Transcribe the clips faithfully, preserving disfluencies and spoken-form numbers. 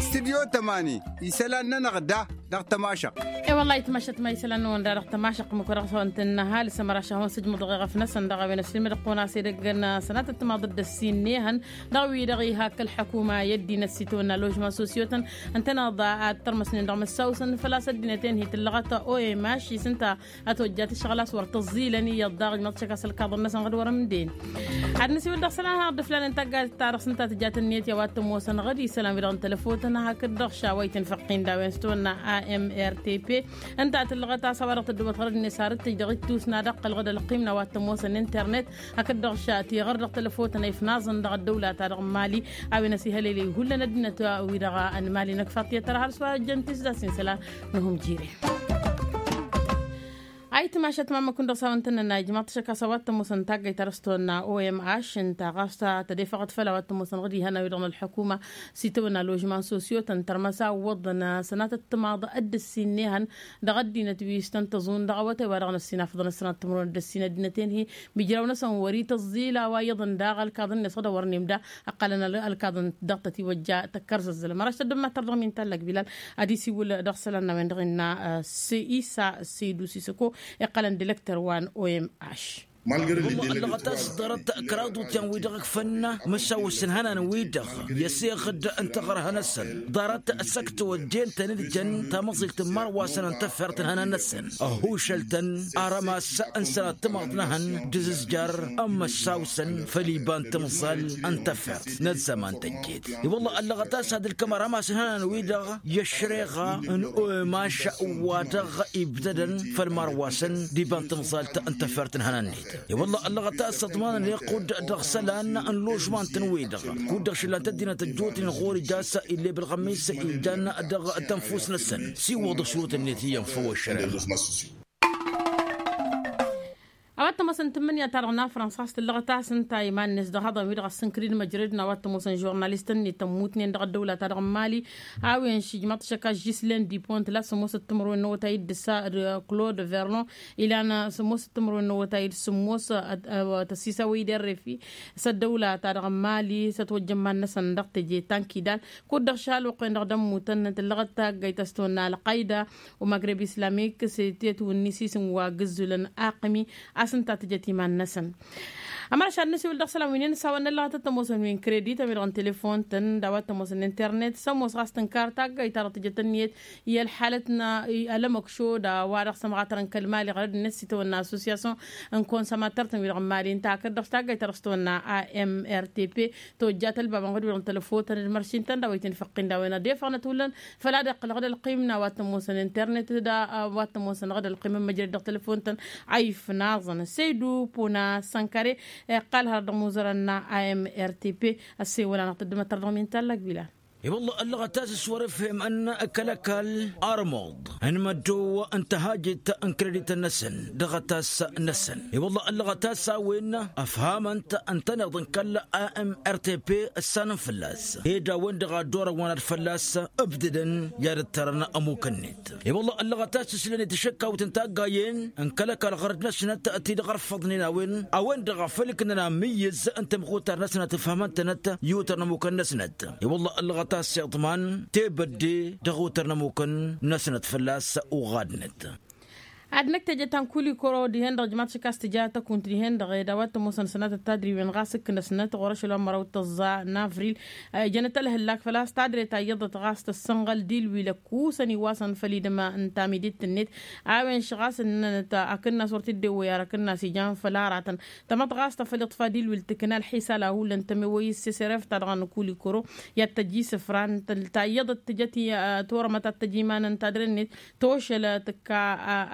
Istidyo tămani isălan-nănăɣ da dăɣ-tămašăɣt. E-wălla-hi tămašăɣt ma isălan-năwăn da dăɣ-tămašăɣt măkădăɣ-s a-wa n-tǝnnăhal s-ămăraš a hawăn-sǝjmǝḍ ɣef-năsăn dăɣ-a-wen ăssilmădăɣ-kăwăn-as edăgg n-sănatăt timaḍ d-ăssin n-ehăn dăɣ-wi-dăɣ iha kăl-ălḥukuma i-ăddinăt s-itawănna ložman sosiyotăn ǝntăneḍ ad-tărmăsnen dăɣ-măssawsăn făl-a-s ăddinăt-en hi-tǝllăɣăt o m h i-s ǝnta ad-tojjat ǝššăɣǝl a-s wăr tăẓẓilăn iyyăḍ daɣ ijmăḍ tišăkka s-ălkaḍăn-năsăn ɣǝd wăr-ǝmden. Ad-nǝsiwǝl dăɣ-isălan hanăɣ-dd ǝflanen taggayt-ta-dăɣ s-ǝnta tǝjat ǝnniyăt i-a-wa t-ămoosăn ɣǝd isălan-wi-dăɣ n-telăfotăn hakd-dăɣ š-a-wa itǝnfăqqin d-a-wen s-tawănna a m r t p ǝnta a tǝllăɣăt a-s a-wa dăɣ-tăddobăt ɣărăd-net sarăt-tǝj dăɣ-ittus n-ad-ăqqăl ɣǝd ălqim n-a-wa t-ămoosăn internet hakd-dăɣ š-tiɣăr dăɣ-telăfotăn a ifnaẓăn dăɣ-ăddăwla-ta-dăɣ n-mali. A-wen ăsihălele ihullan ăddinăt wi-dăɣ n-mali năkk faḍt i-ad-tăra har s-wa ăjjăn tisdassin isălan n-uhǝm jire. Ayǝtmašat mamăkun dăɣ-s a-wa n-tănnănna ijmaḍ-t ašăk a-s a-wa t-ămoosăn taggayt ta dăɣ-s tawănna o m h ǝnta ɣas tădefăɣăt făll-a-wa t-ămoosăn ɣǝd ihănan-wi-dăɣ n-ălḥukuma s-itawănna ložman sosiyotăn tărmăsa wăḍăn sănatăt timaḍ dd-ǝssin n-ehăn dăɣ-ăddinăt wi s-tăn-tăẓun dăɣ-awătay wa dăɣ-năssin afăḍăn ăssănat timǝrwen dd-ǝssin ăddinăt-en-hi mijraw-năsăn wăr-ităẓẓil a-wa iyyăḍăn daɣ ălkaḍăn-net ɣǝd a wăr nemda ăqqălăn ălkaḍăn dăɣ-tăt-iwăjja tăkkărzăzzălăm ăraš tăddămmat tărdăɣ min tallăg bilal. Ad-isiwǝl dăɣ-isălan n-a-wen-dăɣ innă s-isa s-idu s-isăko iqqălăn dilăktăr wa n-o m h. Ăllăɣăt a-s ḍarăt kăraḍ utyăn-wi-dăɣ ǝkfăn măšawăs n-ihănan-wi-dăɣ i-ăseɣ-dd n-taɣărha-năsăn ḍarăt s-ăkk tawăjjen tăn-dd-jăn tamăẓilt n-imărwasăn n-tăffert n-ihănan-năsăn ăhušăl-tăn arămas n-sănat timaḍ n-ehăn d-azǝzjar n-imăssawsăn făll-iba n-timẓal n-tăffert n-ăzzăman tăjjet. I-wălla ăllăɣăt a-s ad-ǝlkăm arămas n-ihănan-wi-dăɣ i-ăššăreɣa n-omaš wa dăɣ-ibdădăn făll-imărwasăn d-iba n-timẓalt n-tăffert n-ihănan-net. I-wălla ăllăɣăt a-s ăḍmanăn iqqud dăɣ-isălan n-ložman-tăn-wi-dăɣ kud-dăɣ šǝllan-t ăddinăt ăjjootnen ɣur-ija a-s ill'-e bălɣămmis ijan dăɣ-tănfust-năsăn s-iwwăḍ ăšrutăn-net iyyăn făw ăššăreɣa. A-wa t-ămoosăn tǝmmǝnǝya-ta-dăɣ n-afrăns ɣas tǝllăɣăt a-s ǝnta iman-net dăɣ-ihăḍăn-wi-dăɣ ăssǝnkǝd d-măjrăd n-a-wa t-ămoosăn žurnalist-net tămmut-nen dăɣ-ăddăwla-ta-dăɣ n-mali. A-wen šijmaḍ šăkka žislen dipont la sămoosăt timǝrwen n-awătay d-ǝssa d-klod verlon ilan sămoosăt timǝrwen n-awătay d-sămoosăt tăsisawăy d-errefi s-ăddăwla-ta-dăɣ n-mali s-ătwăjja iman-năsăn dăɣ-teje tankidal. Kud-dăɣ šalwăqq-wen-dăɣ d-ămmutăn tǝllăɣăt taggayt a-s tawănna ălqayda u-magreb islamik s-tetwǝnni s-isǝm wa gǝzzulăn aqǝmi a-s ǝnta tǝjăt iman-năsăn. Ămăra šad n-asiwǝl dăɣ-isălan wi n-inǝsawăn n-ăllăɣăt d-tămoosăn wi n-kredit a-wi-dăɣ n-telefon-tăn d-a-wa t-ămoosăn n-internet s-ămoos ɣas tǝnkar taggayt ta-dăɣ tǝjăt ǝnniyăt i-ălḥalăt n-alămăkšo d-a-wa dăɣ-sămɣatărăn kăl-mali ɣărăd-net s-itawănna associasyon n-konsomatăr-tăn wi-dăɣ n-mali ǝnta hakd-dăɣ taggayt ta dăɣ-s tawănna a m r t p. Tojjat ălbabăn ɣud-wi-dăɣ n-telăfon-tăn d-măršin-tăn d-a-wa itǝnfăqqin d-a-wen ad-efăɣnăt hullan făl ad-iqqǝl ɣǝd ălqim n-a-wa t-ămoosăn internet d-a-wa t-ămoosăn ɣǝd ălqim n-măjrăd dăɣ-telăfon-tăn. A ifnaẓăn săydu puna sănkare iqqal hărăt dăɣ-imuzărăn n-a m r t p. Ăssewăl-anăɣ tăddămăt tărdăɣ min tallăg bila. I-wălla ăllăɣăt a-s s-wăr-ǝfhem ǝnn kăl-ăkall armuḍ n-măddow n-tăhajit n-kredit-năsăn dăɣ-atas-năsăn. I-wălla ăllăɣăt a-s a-wen ăfhamăn-t ǝntăneḍ n-kăl-a m r t p ǝssanăn fălla-s ed a-wen-dăɣ a dd-orăwăn ad-fălla-s ǝbdǝdăn i-ad-ǝttărăn ămuk-net. I-wălla ăllăɣăt a-s ǝslăn i-tašăkkawt n-taggayen n-kăl-ăkall ɣărăd-năsnăt ti-dăɣ ărfăḍnen a-wen a-wen-dăɣ a făl ǝknăn amǝyyǝz n-tamɣutar-năsnăt ǝfhamăn-tănăt i-utăr n-ămukăn-năsnăt. I-wălla ăllăɣăt a-s iḍman tebădde dăɣ-utăr n-ămukăn-năsnăt fălla-s uɣadnăt. Ad-năkk teje ta n-kulikoro dihen-dăɣ ǝjmaḍ šik a-s tǝja tăkunt dihen-dăɣ ed a-wa t-ămoosăn sănatăt tadriwen ɣas ǝknăsnăt ɣur-ašăl wa n-măraw d-tăẓẓa n-avril. Ǝjănăt ălhǝllak făl-a-s tadret a iyyăḍăt ɣas tăssănɣăl d-ilwil ăkkusăn iwasăn făll-idǝm n-tamidit-net. A-wen š-ɣas ǝnnănăt akǝnnas wăr t-dd-ewwăy ar akǝnnas ijan făll-aratăn. Tamăḍɣast a făl iṭṭfa d-ilwil tǝkna ălḥisa la hullan tămewăy s-s-eref-ta-dăɣ n-kulikoro i-ad-tăj isǝfra n-tăl-ta iyyăḍăt tǝjăt torămăt ad-tăj iman n-tadre-net. Tošăl tǝkka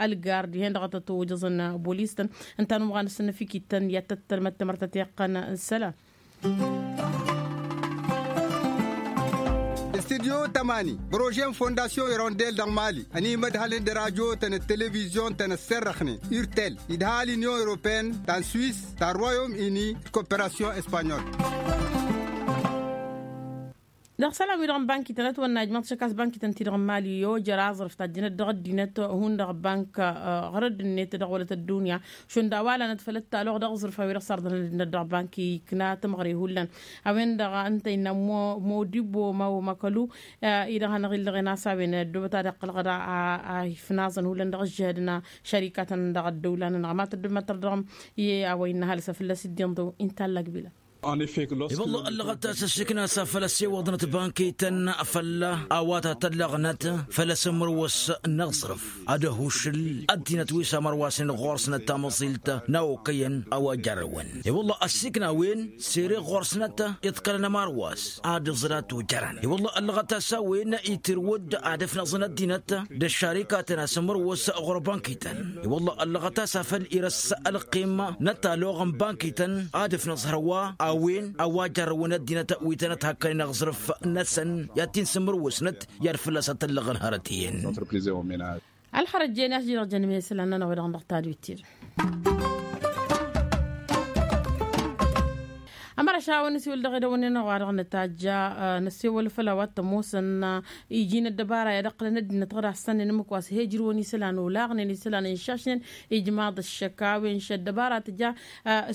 ălgar dihen-dăɣ a tăt-ojăẓăn bolis-tăn. Ǝnta n-umɣan s-năfikit-tăn i-ad-tăt-tălmăt timărtăt iqqăn. Sălam. Studyo tămani prože n-fondasyon irondel dăɣ-mali ănimădhălăn d-radyo-tăn d-televizyon-tăn ăssărrăxnen urtel idha l-inyon europene ta n-swis ta n-royom uni d-koperasyon espanyol. Dăɣ-isălan-wi-dăɣ n-bankităn ătwănna ijmăḍ šăkkas bankităn-ti-dăɣ n-mali i-ojăr aẓrǝf tajjǝnăt dăɣ-ăddinăt hundăɣ bank ɣărăd-net dăɣ-wălăt ăddunya. Šund a-wa lanăt făll-ăttalăɣ dăɣ-aẓrǝf a-wi-dăɣ s-arḍănăn ăddinăt dăɣ-bank ikna tămɣăre hullan. A-wen-dăɣ ǝnta innă modibbo ma-o makălu. I-dăɣ hanăɣ-illăɣen a-s a-wen ăddoobăt ad-iqqăl ɣăr a ifnaẓăn hullan dăɣ-ǝžžǝhădăn ašărikatăn dăɣ-ăddăwla-nănăɣ ma tăddămătăr dăɣ-i a-wa innă ăhalǝs a fălla-s dd-inḍǝw. Inta ăllăgbilăn. I-wălla ăllăɣăt a-s ăššǝkna s-afăl ăssewăḍnăt bankităn făll-a-wa ta tăllăɣnăt făll-asǝmmărwăs n-aẓrǝf ad-ăhušǝl ăddinăt wi s-amărwasnen ɣur-snăt tamăẓilt n-a okăyăn a-wa jarrăwăn. I-wălla ăssiikna a-wen sere ɣur-snăt iḍkălăn ămarwas ad-ǝẓǝl ad-t-ojărăn. I-wălla ăllăɣăt a-s a-wen itirwǝd ad-ăfnăẓăn ăddinăt d-ăššarikatăn asǝmmărwăs ɣur-bankităn. I-wălla ăllăɣăt a-s afăl irăs ălqim n-ătaloɣ n-bankităn ad-ǝfnăẓ hărwa a-wen a-wa jarrăwăn ăddinăt wi tănăt hakkănen aẓrǝf-năsăn i-ad-t-in-sǝmmărwǝsnăt i-ad-fălla-s ad-t-ăllăɣăn hărăt iyyăn. Ălxărăt jen i-a-s jin-dăɣ jăn iman isălan-nănăɣ wi-dăɣ n-dăɣ tadwit-ti-dăɣ. Ămăra šawăn nǝsiwǝl dăɣ-edăwănnen wa-dăɣ nǝtajja nǝsiwǝl făll-a-wa t-ămoosăn iji n-ăddăbara i-ad-ǝqqǝlăn ăddinăt ɣǝr-assăn n-ǝmmǝk wa s-he ǝjrǝwăn isălan olaɣnen isălan ǝnšašnen. Ijmaḍ ăššăk a-wen š-ăddăbara tǝja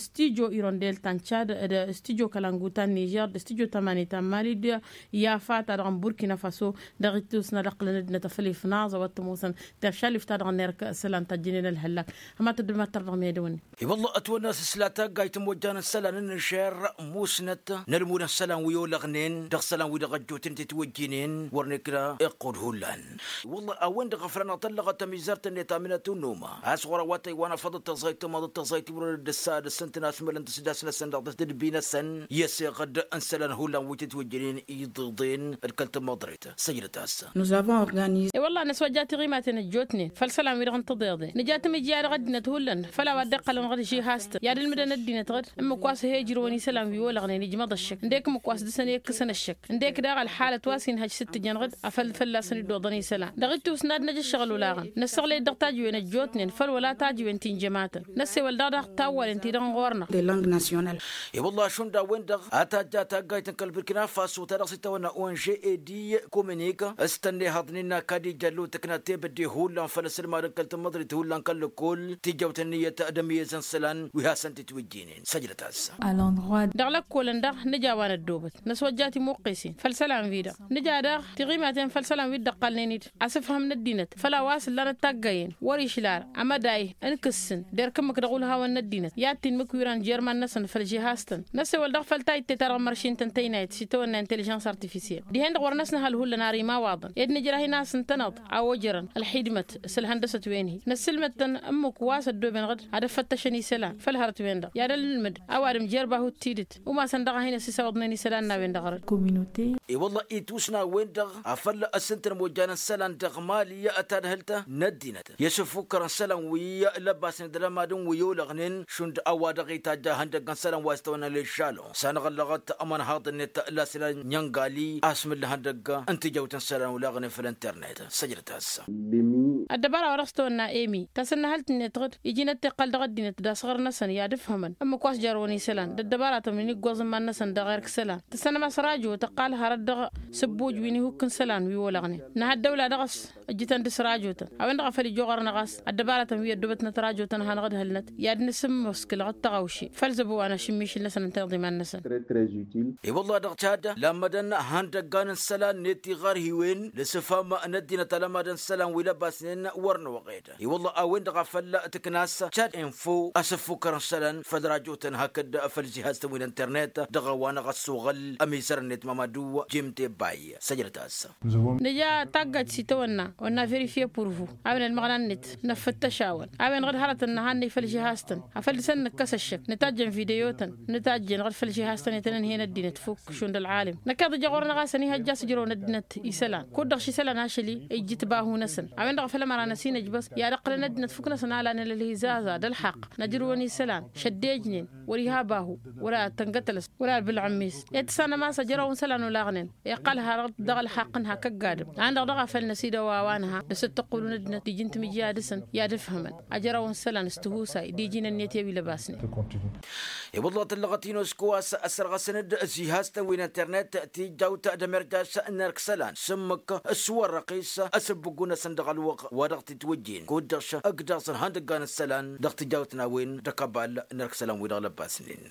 stujo irondel ta n-čad d-stujo kălangu ta n-nižer d-stujo tamane ta n-mali d-yafa ta dăɣ-n burkina faso. Dăɣ-ittus n-ad-ǝqqǝlăn ăddinăt afăl ifnaẓ a-wa t-ămoosăn teršalif ta dăɣ-nerk isălan tajjǝnen ălhăllak. Hăma tăddămăttăr dăɣ-medăwănnen. I-wălla ătwănna s-ǝsla taggayt n-imojjan n-isălan n-inšer musnăt n-ălmud n-isălan wi olăɣnen dăɣ-isălan wi dăɣ-ăjjootnen titwăjjinen wăr n-ikna iqqud hullan. I-wălla a-wen-dăɣ a făl anăɣ-tăllăɣăt ămizăr-tăn-net amǝnăt unnuma a-s ɣur-a-wa tăywanăfăḍ d-tăẓayt tămaḍăt tăẓayt wăr-dd-ăssa ad-ăssǝntăn asmălăn tǝsdas-năsăn dăɣ-tătdǝbi-năsăn i-ăseɣ-dd n-isălan hullan wi titwăjjinen iḍeḍen d-kăl-tămăḍret. Săjdăt-as. I-wălla năswăjja tiɣimaten ăjjootnen făll-isălan-wi-dăɣ n-tiḍeḍen nǝja tamǝjja dăɣ-ăddinăt hullan făll-a-wa dd-iqqălăn ɣăr-žihastăn i-ad-ǝlmǝdăn ăddinăt ɣǝd ǝmmǝk wa s-he-ǝjrǝwăn isălan wi olăɣnen ijmăḍ ăššăk ǝndek ǝmmǝk wa s-dăr-săn i-ǝkkǝsăn ăššăk ǝndek daɣ ălxalăt wa s-inhăj s-ǝttǝjăn ɣǝd. Afăl fălla-săn iddoḍăn isălan dăɣ-ittus n-ad-năj ǝššăɣǝl olaɣăn năssăɣlăy-dd dăɣ-tajǝwen ăjjootnen făll-wăla tajǝwen ti n-jămatăn năssewăl daɣ dăɣ-tawwalen-ti-dăɣ n-ɣur-năɣ. I-wălla ašund a-wen-dăɣ a tajja taggayt n-kăl-burkina faso ta dăɣ-s itawănna onže edi kominik s-tănnehăḍnen n-akad ijăllu tǝkna tebădde hullan făll-asǝlmad n-kăl-tămmăḍrit hullan kăl-lăkkol tijjăwt ǝnniyăt d-ămyezăn isălan wi hasăn-t itwǝjjinen săjdăt-as. Dăɣ-lăkkolăn-dăɣ nǝja wa năddoobăt năswăjja timuqqesen făll-isălan-wi-dăɣ nǝja daɣ tiɣimaten făll-isălan wi dd-ăqqalnen-dd asǝfhăm n-ăddinăt făll-a-wa s-ǝllanăt taggayen wăr-išla ara amăday n-kǝssǝn d-erk ǝmmǝk dăɣ-ulhawăn n-ăddinăt i-ad-t-inmǝk wi ran jer-iman-năsăn făll-žihastăn năssewăl dăɣ-făll tajjǝt ta-dăɣ măršin tăn-tăynayăt s-itawănna intelligence artifisiel dihen-dăɣ wăr năsnăhăl hullan ar imawaḍăn ed nǝjrah-in a-s ǝntăneḍ a ojărăn ălxidmăt s-ǝlhăndăsăt-wen-hi năssǝlmăd-tăn ǝmmǝk wa s-ăddooben ɣǝd ad-ăffăttăšăn isălan făll-hărăt-wen-dăɣ i-ad-ălmǝd a-wa d-ǝmjer bahu t-tidǝt umasăn dăɣ-a hin-ăsisawăḍnen isălan n-a-wen-dăɣ ɣărăt. I-wălla itus n-a-wen-dăɣ afăl ăssǝntăn imojjan n-isălan dăɣ-mali tadhǝlt n-ăddinăt i-asǝffukkărăn isălan wi lăbasnen d-alămadăn wi olăɣnen šund a-wa dăɣ-itajj ihăndăgg n-isălan wa s-tawănna ležžalon s-anăɣ-ăllăɣăt ămănhaḍ-net lasla n-inyăngali a-s mǝllăhăn dăgg n-tijăwt n-isălan olaɣnen făll-internet. Săjdăt-as. Ăddăbara wa dăɣ-s tawănna emi tasǝnnăhălt-net ɣǝd iji n-ăttiqqăl dăɣ-ăddinăt d-asɣăr-năsăn i-ad-ǝfhǝmăn ǝmmǝk wa s-jarrăwăn isălan d-ăddăbaratăn wi n-iggoẓ n-iman-năsăn dăɣ-erk isălan tǝssănăm a-s rajo tăqqal hărăt dăɣ-sǝbbuj wi n-ihukk n-isălan wi olăɣnen nǝha ăddăwla dăɣ-s ǝjjǝtăn dăɣ-s rajotăn a-wen-dăɣ a făl ija oɣăr-năɣ a-s ăddăbaratăn wi ăddoobătnăt rajotăn a hanăɣ-dd-hălnăt i-ad-nǝsǝmmăskǝl ɣǝd tăɣawše făll-zăbo wa n-ašǝmmišǝl-năsăn ǝnta iḍiman-năsăn. Iwăllah dăɣ-tad lămmădăn ihăndăggan n-isălan-net iɣarhiwen l-asǝfham n-ăddinăt alămadăn isălan wi lăbasnen wăr n-oɣed. Iwăllah a-wen-dăɣ a făl tǝknas tad info asǝffukkăr n-isălan făll-rajotăn hakd făll-žihaz-tăn wi n-internet dăɣ-a-wa n-ăɣ ăssoɣăl ămizăr-net mamadu jimte bay. Săjdăt-as. Nǝja taggajt s-itawănna wănna verifye purvu a-wen ălmăɣna-net năffăttăš-awăn a-wen ɣǝd hărătăn nǝhannăy făll-žihaz-tăn afăl dăr-săn nǝkkăs ăššăk nǝtajjăn videotăn nǝtajjăn ɣǝd făll-žihaz-tăn i-tăn-ǝnhăyăn ăddinăt fukk šund ălɣalem. Năkkeḍ ija ɣur-năɣ a-s ănihăjja a-s ǝjrăwăn ăddinăt isălan kud-dăɣ šisălan ašăl-i ijjǝt bahu-năsăn a-wen-dăɣ a făl ămăra n-ăsinăjbăs i-ad-ǝqqǝlăn ăddinăt fukk-năsăn a lanen ălhizaza d-ălxaqq năjrǝwăn isălan šăddejnen wăr-iha bahu wăr-ad-tăngătălăs wăr-ad-bǝlɣǝm-is. Ed tǝssanăm a-s ăjrăwăn isălan olaɣnen iqqăl hărăt dăɣ-ălxaqq n-hak ăgg-adǝm a-wen-dăɣ daɣ a făl năsidăw a-wa. Anha dăr-s ăttăqqulun ăddinăt iji n-timǝjja dăr-săn i-ad-ǝfhǝmăn ajăraw n-isălan s-tihusay d-iji n-ănniyăt i-wi lăbasnen. Iwǝḍlăt ǝllăɣăt inosku a-s ăssărɣăsăn-dd ăzihastăn wi n-internet tijjawt d-emerjas n-erk isălan s-ǝmmǝk s-wăr răqis. Ăsǝbbǝggu-năsăn dăɣ-ălwăqq wa dăɣ-t-itwǝjjen kud-dăɣ šăkk dăɣ-săn ihăndăggan isălan dăɣ-tijjawt n-a-wen d-akăbal n-erk isălan wi-dăɣ lăbbasnen.